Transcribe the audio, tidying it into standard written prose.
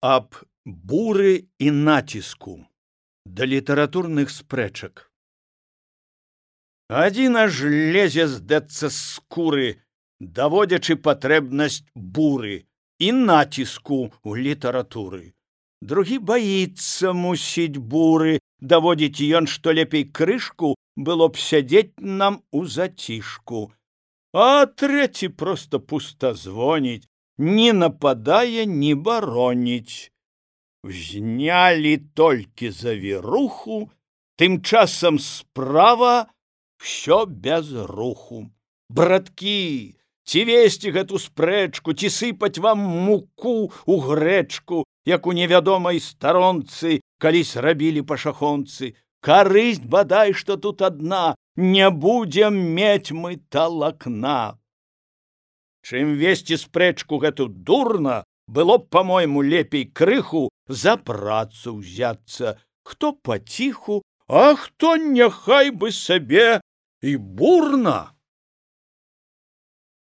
Аб буры і націску да літаратурных спрэчак. Адзін аж лезе здэцца з скуры, даводзячы патрэбнасць буры і націску ў літаратуры. Другі баіцца, мусіць, буры, даводзіць ён, што лепей крышку было б сядзець нам у зацішку. А трэці проста пустазвоніць, не нападае, не бароніць. Знялі толькі завіруху, тым часам справа всё без руху. Браткі, ці весці гэту спрэчку, ці сыпаць вам муку ў грэчку, як у невядомай старонцы калісь рабілі пашахонцы. Карысць бадай, што тут адна, не будзем мець мы талакна. Чым весці спрэчку гэту дурна, было б, по-мойму, лепей крыху за працу ўзяцца. Хто паціху, а хто няхай бы сабе і бурна.